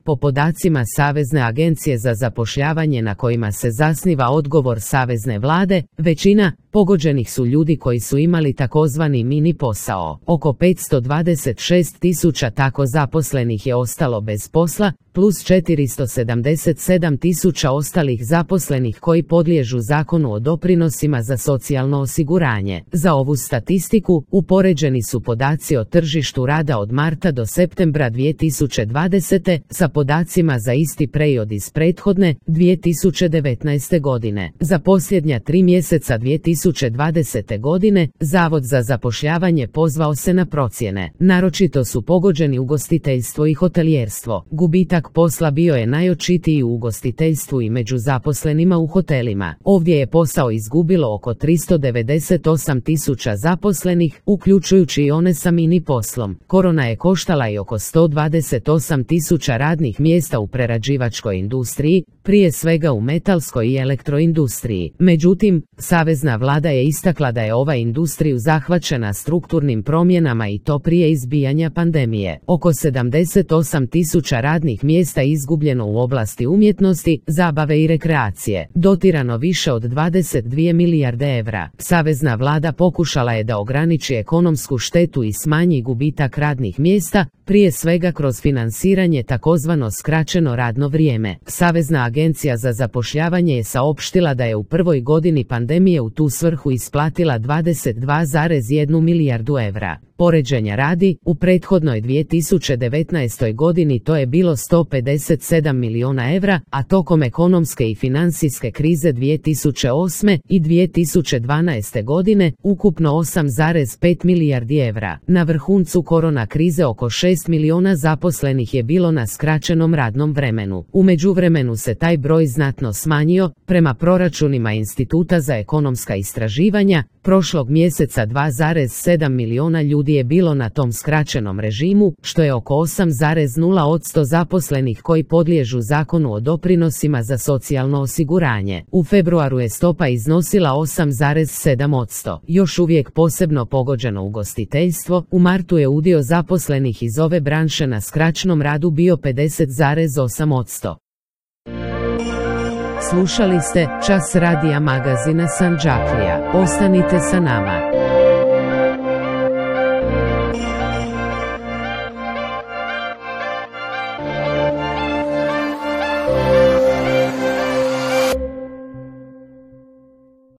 Po podacima Savezne agencije za zapošljavanje na kojima se zasniva odgovor Savezne vlade, većina pogođenih su ljudi koji su imali takozvani mini posao. Oko 526.000 tako zaposlenih je ostalo bez posla, plus 477.000 ostalih zaposlenih koji podliježu Zakonu o doprinosima za socijalno osiguranje. Za ovu statistiku upoređeni su podaci o tržištu rada od marta do septembra 2020. sa podacima za isti period iz prethodne 2019. godine. Za posljednja 3 mjeseca 2020. godine Zavod za zapošljavanje pozvao se na procjene. Naročito su pogođeni ugostiteljstvo i hotelijerstvo. Gubitak posla bio je najočitiji u ugostiteljstvu i među zaposlenima u hotelima. Ovdje je posao izgubilo oko 398.000 zaposlenih, uključujući i one sa mini poslom. Korona je koštala i oko 128.000 radnih mjesta u prerađivačkoj industriji, prije svega u metalskoj i elektroindustriji. Međutim, Savezna vlada je istakla da je ova industriju zahvaćena strukturnim promjenama i to prije izbijanja pandemije. Oko 78.000 radnih mjesta izgubljeno u oblasti umjetnosti, zabave i rekreacije, dotirano više od 22 milijarde evra. Savezna vlada pokušala je da ograniči ekonomsku štetu i smanji gubitak radnih mjesta, prije svega kroz finansiranje takozvano skraćeno radno vrijeme. Savezna agencija za zapošljavanje je saopštila da je u prvoj godini pandemije u tu svrhu isplatila 22,1 milijardu evra. Poređenja radi, u prethodnoj 2019. godini to je bilo 157 milijuna evra, a tokom ekonomske i financijske krize 2008. i 2012. godine ukupno 8,5 milijardi evra. Na vrhuncu korona krize oko 6 milijuna zaposlenih je bilo na skraćenom radnom vremenu. U međuvremenu se taj broj znatno smanjio, prema proračunima Instituta za ekonomska istraživanja, prošlog mjeseca 2,7 milijuna ljudi je bilo na tom skraćenom režimu, što je oko 8,0% zaposlenih koji podliježu Zakonu o doprinosima za socijalno osiguranje. U februaru je stopa iznosila 8,7%. Još uvijek posebno pogođeno ugostiteljstvo, u martu je udio zaposlenih iz ove branše na skraćenom radu bio 50,8%. Slušali ste Čas radija magazina Sandžaklija. Ostanite sa nama.